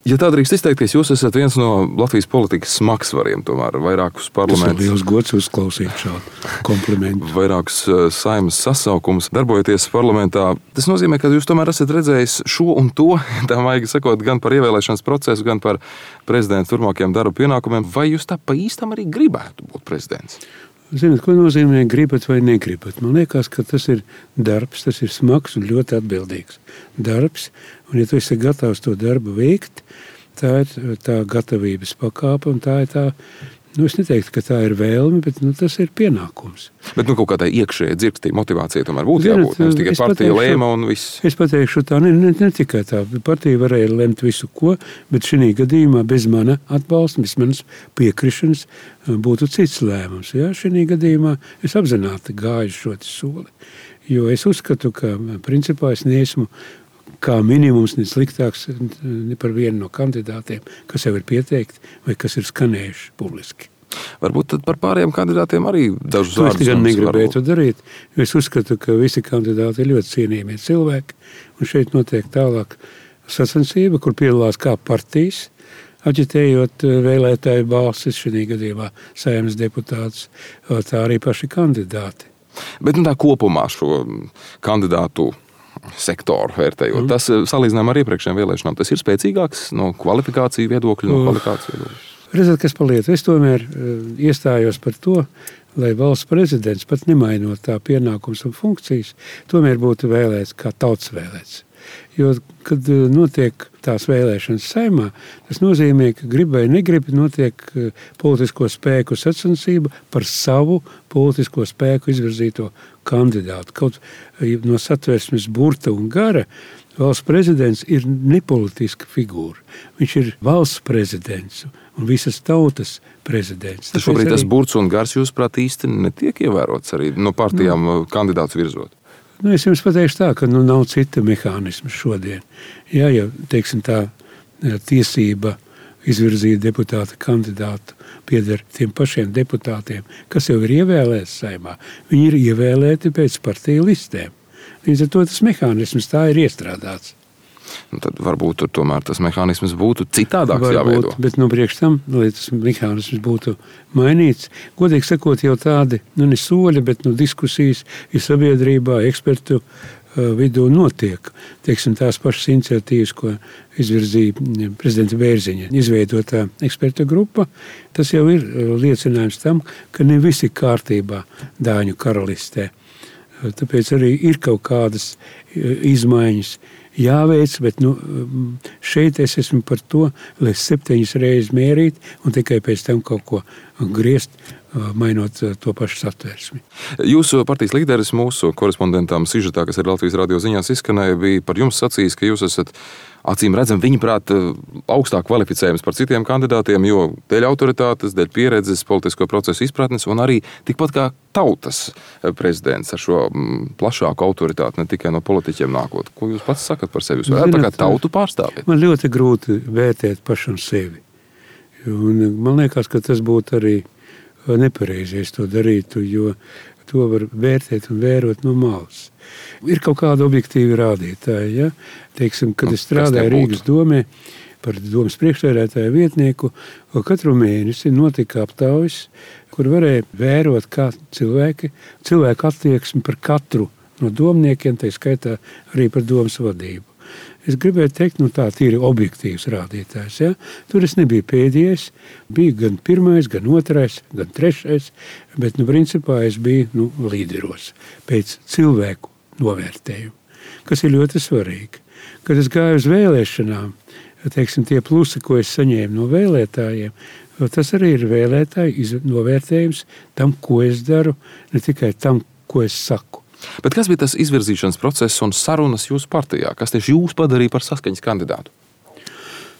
Ja tā drīkst izteikties, jūs esat viens no Latvijas politikas smagsvariem, tomēr vairākus parlamentus. Tas ir liels gods uzklausīt šādu komplimentu. Vairākus Saeimas sasaukumus darbojoties parlamentā. Tas nozīmē, ka jūs tomēr esat redzējis šo un to, tā maigi sakot, gan par ievēlēšanas procesu, gan par prezidenta turpmākajiem darba pienākumiem. Vai jūs tā pa īstam arī gribētu būt prezidents? Zināt, ko nozīmē gribat vai negribat? Man liekas, ka tas ir darbs, tas ir smags un ļoti atbildīgs darbs. Un ja tu esi gatavs to darbu veikt, tā ir tā gatavības pakāpe un tā ir tā, es neteiktu, ka tā ir vēlme, bet tas ir pienākums. Bet kaut kādai iekšējai dzirkstī motivācija tomēr būtu jābūt. Nevis tikai partija lēma un viss. Es pateikšu tā, ne tikai tā. Partija varēja lemt visu ko, bet šī gadījumā bez mana atbalsta, bez manas piekrišanas būtu cits lēmums. Ja? Šī gadījumā es apzināti gāju šo soli, jo es uzskatu, ka principā es neesmu kā minimums ne sliktāks ne par vienu no kandidātiem, kas jau ir pieteikti vai kas ir skanējuši publiski. Varbūt tad par pārējiem kandidātiem arī dažus vārdus. Es gan negribētu darīt, jo es uzskatu, ka visi kandidāti ir ļoti cienījami cilvēki, un šeit notiek tālāk sacensība, kur piedalās kā partijas, aģitējot vēlētāju balsis, šī gadījumā Saeimas deputātus, tā arī paši kandidāti. Bet tā kopumā šo kandidātu sektoru vērtējot. Tas salīdzinām ar iepriekšējām vēlēšanām. Tas ir spēcīgāks no kvalifikāciju viedokļa, no kvalifikāciju viedokļa. Redzat, kas paliet. Es tomēr iestājos par to, lai valsts prezidents pat nemainot tā pienākums un funkcijas, tomēr būtu vēlēts kā tautas vēlēts. Jo, kad notiek tās vēlēšanas Saeimā, tas nozīmē, ka grib vai negrib notiek politisko spēku sacensība par savu politisko spēku izvirzīto kandidātu. Kaut no satversmes burta un gara valsts prezidents ir nepolitiska figūra. Viņš ir valsts prezidents un visas tautas prezidents. Tas šobrīd tas burts un gars, jūsuprāt, īsti netiek ievērots arī no partijām kandidātus virzot? Es jums pateikšu tā, ka nav cita mehānisma šodien. Ja teiksim tā tiesība izvirzīt deputāta kandidātu pieder tiem pašiem deputātiem, kas jau ir ievēlēti Saeimā, viņi ir ievēlēti pēc partiju listēm. Līdz ar to tas mehānisms tā ir iestrādāts. Tad varbūt tomēr tas mehānisms būtu citādāks jāveido. Bet priekš tam, lai tas mehānisms būtu mainīts, godīgi sakot, jau tādi, ne soļi, bet diskusijas ir sabiedrībā, ekspertu vidū notiek. Teiksim, tās pašas iniciatīvas, ko izvirzīja prezidenta Bērziņa izveidotā eksperta grupa, tas jau ir liecinājums tam, ka ne visi kārtībā Dāņu karalistē. Tāpēc arī ir kaut kādas izmaiņas jāveic, bet šeit es esmu par to, lai 7 reizes mērīt un tikai pēc tam kaut ko griezt, mainot to pašu satversmi. Jūsu partijas līderis mūsu korespondentam sižetā, kas ir Latvijas radio ziņās izskanēja, bija par jums sacījis, ka jūs esat acīm redzam, viņaprāt, augstāk kvalificējams par citiem kandidātiem, jo dēļ autoritātes, dēļ pieredzes, politisko procesu izpratnes un arī tikpat kā tautas prezidents ar šo plašāku autoritāti, ne tikai no politiķiem nākot. Ko jūs pats sakat par sevi? Jūs varētu tā kā tautu pārstāvēt? Man ļoti grūti vērtēt pašam sevi. Un man liekas, ka tas būtu arī nepareizi, ja to darītu, jo to var vērtēt un vērot no malas. Ir kaut kāda objektīva rādītāja. Ja? Teiksim, kad es strādāju Rīgas domē par domas priekšsēdētāju vietnieku, katru mēnesi notika aptaujas, kur varēja vērot, kā cilvēku attieksmi par katru no domniekiem, tā skaitā arī par domas vadību. Es gribēju teikt, tā ir objektīvs rādītājs. Ja? Tur es nebiju pēdējais, bija gan pirmais, gan otrais, gan trešais, bet principā es biju līderos pēc cilvēku novērtējumu, kas ir ļoti svarīgi. Kad es gāju uz vēlēšanām, teiksim, tie plusi, ko es saņēmu no vēlētājiem, tas arī ir vēlētāju novērtējums tam, ko es daru, ne tikai tam, ko es saku. Bet kas bija tas izvirzīšanas process un sarunas jūsu partijā? Kas tieši jūs padarīja par saskaņas kandidātu?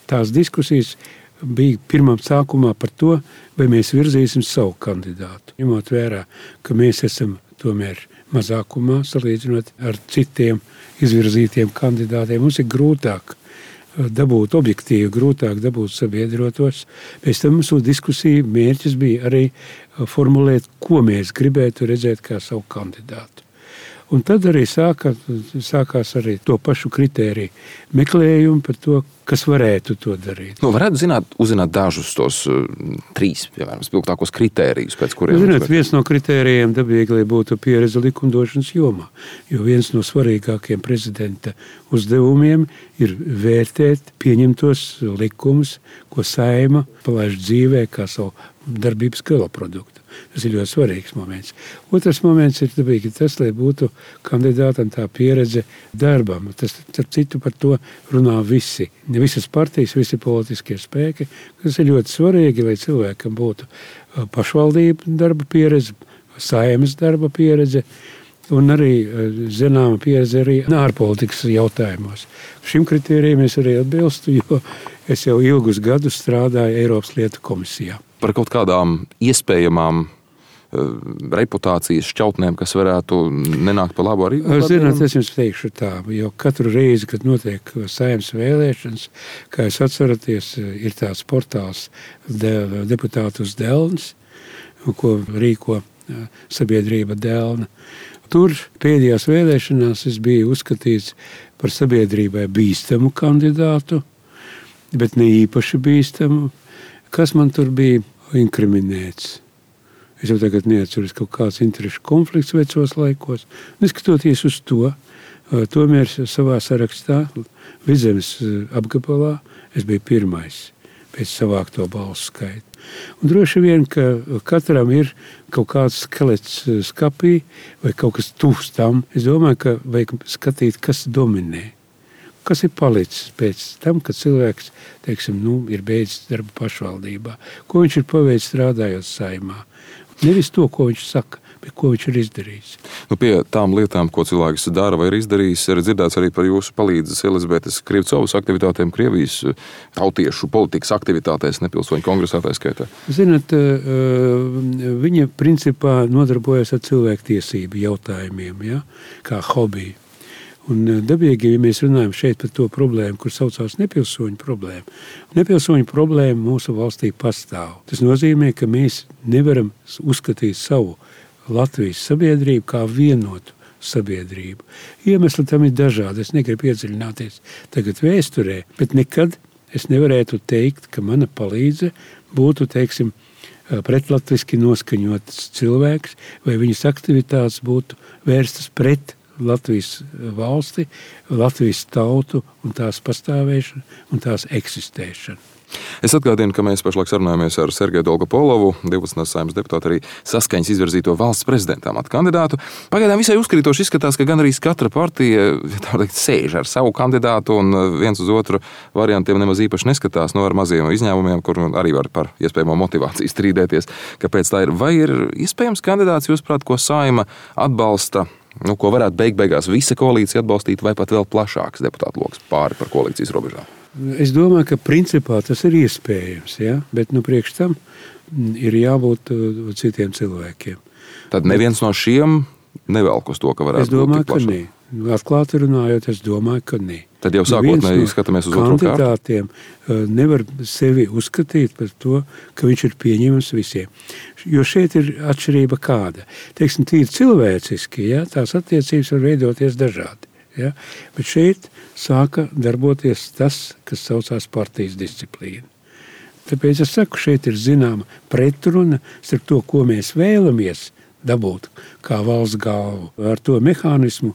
Tās diskusijas bija pirmām sākumā par to, vai mēs virzīsim savu kandidātu. Ņemot vērā, ka mēs esam tomēr mazākumā salīdzinot ar citiem izvirzītiem kandidātiem, mums ir grūtāk dabūt objektīvi, grūtāk dabūt sabiedrotos. Pēc tam mūsu diskusija mērķis bija arī formulēt, ko mēs gribētu redzēt kā savu kandidātu. Un tad arī sākās arī to pašu kritēriju meklējumu par to, kas varētu to darīt. Varētu uzzināt dažus tos 3, piemēram, spilgtākos kritērijus, pēc kuriem... Viens no kritērijiem dabīgi, lai būtu pieredze likumdošanas jomā, jo viens no svarīgākiem prezidenta uzdevumiem ir vērtēt pieņemtos likumus, ko Saeima palaiž dzīvē kā savu darbības galaproduktu. Tas ir ļoti svarīgs moments. Otrs moments ir dabīgi tas, lai būtu kandidātam tā pieredze darbam. Tas, starp citu, par to runā visi. Visas partijas, visi politiskie spēki. Tas ir ļoti svarīgi, lai cilvēkam būtu pašvaldību darba pieredze, Saeimas darba pieredze un arī zināma pieredze arī ārpolitikas jautājumos. Šim kritērijam es arī atbilstu, jo es jau ilgus gadus strādāju Eiropas lietu komisijā. Par kaut kādām iespējamām reputācijas šķautnēm, kas varētu nenākt pa labu arī? Zināt, es jums teikšu tā, jo katru reizi, kad notiek Saeimas vēlēšanas, kā jūs atceraties, ir tāds portāls Deputātus Delns, ko rīko sabiedrība Delna. Tur pēdējās vēlēšanās es biju uzskatīts par sabiedrībai bīstamu kandidātu, bet ne īpaši bīstamu. Kas man tur bija inkriminēts? Es jau tagad neatceros kaut kāds interešu konflikts vecos laikos. Neskatoties uz to, tomēr savā sarakstā Vidzemes apgabalā es biju pirmais pēc savākto balsu skaitu. Un droši vien, ka katram ir kaut kāds skelets skapī vai kaut kas tuvs tam. Es domāju, ka vajag skatīt, kas dominē. Kas ir palicis pēc tam, kad cilvēks, teiksim, ir beidzis darbu pašvaldībā? Ko viņš ir paveicis strādājot Saeimā? Nevis to, ko viņš saka, bet ko viņš ir izdarījis. Pie tām lietām, ko cilvēks dara vai ir izdarījis, ir dzirdēts arī par jūsu palīdzes Elizabetes Krivcovas aktivitātēm Krievijas tautiešu politikas aktivitātēs, nepilsoņu kongresā tā skaitā. Zināt, viņa principā nodarbojas ar cilvēktiesību jautājumiem, ja? Kā hobiju. Un dabīgi, ja mēs runājam šeit par to problēmu, kur saucās nepilsoņu problēmu. Nepilsoņu problēma mūsu valstī pastāv. Tas nozīmē, ka mēs nevaram uzskatīt savu Latvijas sabiedrību kā vienotu sabiedrību. Iemesli tam ir dažādi. Es negribu iedziļināties tagad vēsturē, bet nekad es nevarētu teikt, ka mana palīdze būtu, teiksim, pretlatviski noskaņots cilvēks, vai viņas aktivitātes būtu vērstas pret Latvijas valsti, Latvijas tautu un tās pastāvēšanu un tās eksistēšanu. Es atgādinu, ka mēs pašlaik sarunājamies ar Sergeju Dolgopolovu, 12. Saeimas deputātu, arī Saskaņas izvirzīto valsts prezidenta amata kandidātu. Pagaidām visai uzkrītoši izskatās, ka gandrīz katra partija sēž ar savu kandidātu un viens uz otru variantiem nemaz īpaši neskatās, ar maziem izņēmumiem, kur arī var par iespējamo motivāciju strīdēties. Kāpēc tā ir? Vai ir iespējams kandidāts, jūsuprāt, ko Saeima atbalsta? Ko varētu beigās visa koalīcija atbalstīt, vai pat vēl plašāks deputātu loks pāri par koalīcijas robežām? Es domāju, ka principā tas ir iespējams, ja? Bet priekš tam ir jābūt citiem cilvēkiem. Tad neviens no šiem nevelk uz to, ka varētu būt tik plašāk? Es domāju, ka nē. Atklāti runājot, es domāju, ka nē. Tad jau sākotnēji skatāmies uz otro kārtu. Kandidātiem nevar sevi uzskatīt par to, ka viņš ir pieņemams visiem. Jo šeit ir atšķirība kāda. Teiksim, tīri cilvēciski, ja, tās attiecības var veidoties dažādi. Ja, bet šeit sāka darboties tas, kas saucās partijas disciplīna. Tāpēc es saku, šeit ir zināma pretruna starp to, ko mēs vēlamies dabūt kā valsts galvu, ar to mehānismu,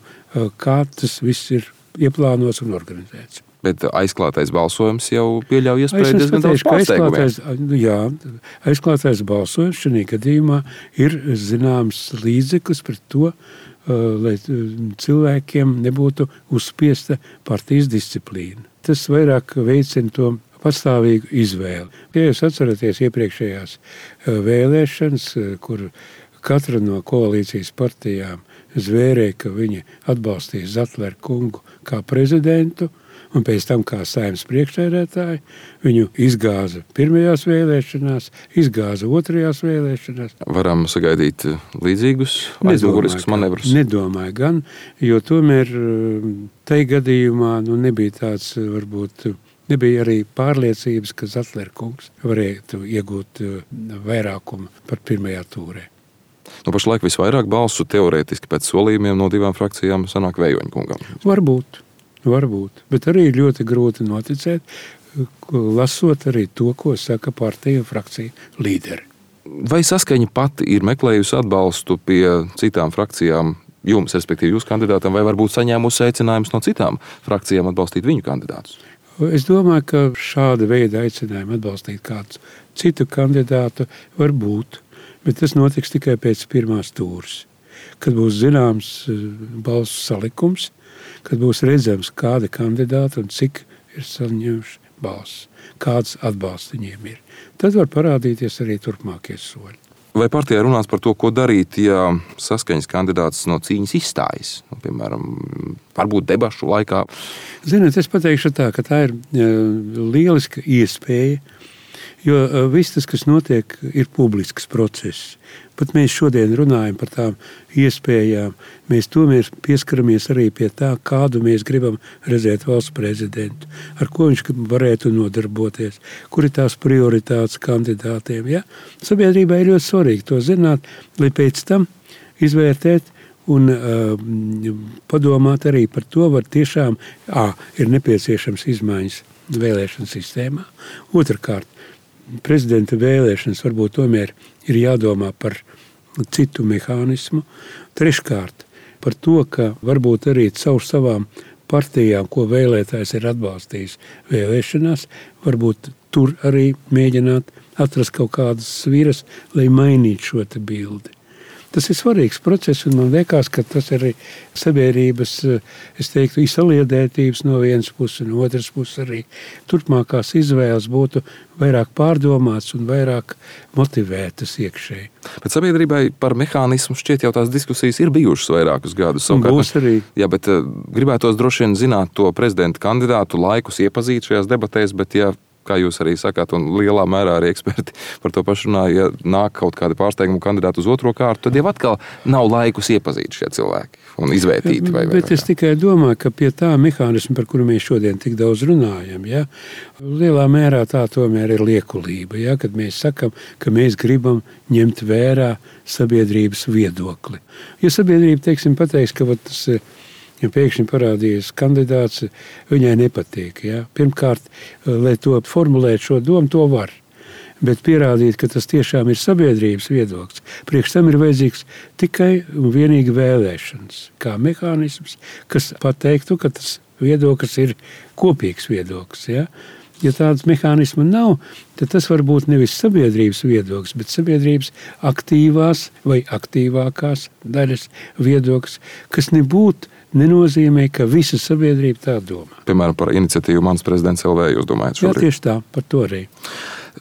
kā tas viss ir ieplānots un organizēts. Bet aizklātais balsojums jau pieļauj iespēju diezgan daudz pārsteigumiem. Jā, aizklātais balsojums šajā gadījumā ir zināms līdzeklis pret to, lai cilvēkiem nebūtu uzspiesta partijas disciplīna. Tas vairāk veicina to pastāvīgu izvēli. Ja jūs atceraties iepriekšējās vēlēšanas, kur katra no koalīcijas partijām zvērēja, ka viņi atbalstīs Zatleru kungu kā prezidentu, un pēc tam kā Saeimas priekšsēdētāju, viņu izgāza pirmajās vēlēšanās, izgāza otrajās vēlēšanās. Varam sagaidīt līdzīgus aizmuguriskus manevrus? Nedomāju gan, jo tomēr tai gadījumā nebija tāds, varbūt, nebija arī pārliecības, ka Zatleru kungs varētu iegūt vairākumu par pirmajā tūrē. Pašlaik visvairāk balsu teorētiski pēc solījumiem no divām frakcijām sanāk Vējoņa kungam. Varbūt. Varbūt, bet arī ir ļoti grūti noticēt, lasot arī to, ko saka partija un frakcija līderi. Vai Saskaņa pati ir meklējusi atbalstu pie citām frakcijām jums, respektīvi jūsu kandidātam, vai varbūt saņēmusi aicinājumus no citām frakcijām atbalstīt viņu kandidātus? Es domāju, ka šāda veida aicinājumi atbalstīt kādu citu kandidātu var būt, bet tas notiks tikai pēc pirmās tūres, kad būs zināms balsu salikums, kad būs redzams, kādi kandidāti un cik ir saņēmuši balsus, kāds atbalsts viņiem ir. Tad var parādīties arī turpmākie soļi. Vai partijā runās par to, ko darīt, ja Saskaņas kandidāts no cīņas izstājas? Piemēram, varbūt debašu laikā. Ziniet, es pateikšu tā, ka tā ir lieliska iespēja, jo viss tas, kas notiek, ir publisks process. Pat mēs šodien runājam par tām iespējām. Mēs tomēr pieskaramies arī pie tā, kādu mēs gribam redzēt valsts prezidentu, ar ko viņš varētu nodarboties, kur ir tās prioritātes kandidātiem. Ja? Sabiedrībai ir ļoti svarīgi to zināt, lai pēc tam izvērtēt un padomāt arī par to, var tiešām ir nepieciešams izmaiņas vēlēšanu sistēmā. Otrkārt, prezidenta vēlēšanas varbūt tomēr ir jādomā par citu mehānismu. Treškārt, par to, ka varbūt arī caur savām partijām, ko vēlētājs ir atbalstījis vēlēšanās, varbūt tur arī mēģināt atrast kaut kādas sviras, lai mainītu šo te bildi. Tas ir svarīgs process, un man liekas, ka tas arī sabiedrības, es teiktu, izsaliedētības no vienas puses, un otras puses arī turpmākās izvēles būtu vairāk pārdomāts un vairāk motivētas iekšēji. Bet sabiedrībai par mehānismu šķiet jau tās diskusijas ir bijušas vairākus gadus. Būs arī. Jā, bet gribētos droši vien zināt to prezidenta kandidātu laikus iepazīt šajās debatēs, bet ja kā jūs arī sakāt, un lielā mērā arī eksperti par to pašu runā, ja nāk kaut kādi pārsteigumi kandidāti uz otro kārtu, tad jau atkal nav laikus iepazīt šie cilvēki un izvērtīt. Bet es tikai domāju, ka pie tā mehānismu, par kuru mēs šodien tik daudz runājam, ja, lielā mērā tā tomēr ir liekulība, ja, kad mēs sakam, ka mēs gribam ņemt vērā sabiedrības viedokli. Ja sabiedrība, teiksim, pateiks, ka tas ja pēkšņi parādījies kandidāts, viņai nepatīk. Ja? Pirmkārt, lai to formulētu šo domu, to var. Bet pierādīt, ka tas tiešām ir sabiedrības viedoklis, priekš tam ir vajadzīgs tikai un vienīgi vēlēšanas, kā mehānisms, kas pateiktu, ka tas viedoklis ir kopīgs viedoklis. Ja? Ja tādas mehānisma nav, tad tas var būt nevis sabiedrības viedoklis, bet sabiedrības aktīvās vai aktīvākās daļas viedoklis, kas nenozīmē, ka visa sabiedrība tā domā. Piemēram, par iniciatīvu Mans prezidents LV jūs domājat šobrīd? Jā, tieši tā, par to arī.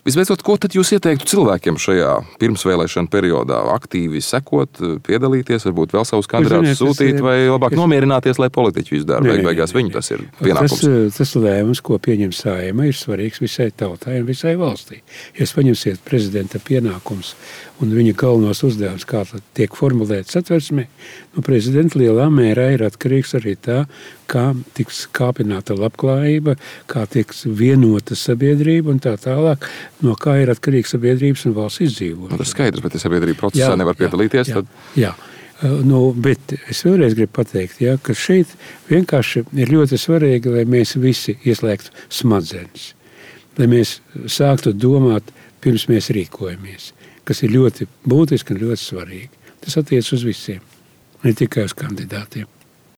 Visbeidzot, ko tad jūs ieteiktu cilvēkiem šajā pirmsvēlēšana periodā? Aktīvi sekot, piedalīties, varbūt vēl savus kandidātus sūtīt, vai labāk nomierināties, lai politiķi izdara? Beigās viņu tas ir pienākums. Tas lēmums, ko pieņem Saeima, ir svarīgs visai tautai un visai valstī. Ja jūs paņemsiet prezidenta pienākums un viņa galvenos uzdevums, kā tiek formulēts Satversmē, no prezidenta lielā mērā ir atkarīgs arī tā, kā tiks kāpināta labklājība, kā tiks vienota sabiedrība un tā tālāk, no kā ir atkarīgs sabiedrības un valsts izdzīvojums. Tas skaidrs, bet ja sabiedrība procesā nevar piedalīties, tad... Jā. Bet es vēlreiz gribu pateikt, ja, ka šeit vienkārši ir ļoti svarīgi, lai mēs visi ieslēgtu smadzenes, lai mēs sāktu domāt, pirms mēs rīkojamies, kas ir ļoti būtiski un ļoti svarīgi. Tas attiec uz visiem, ne tikai uz kandidātiem.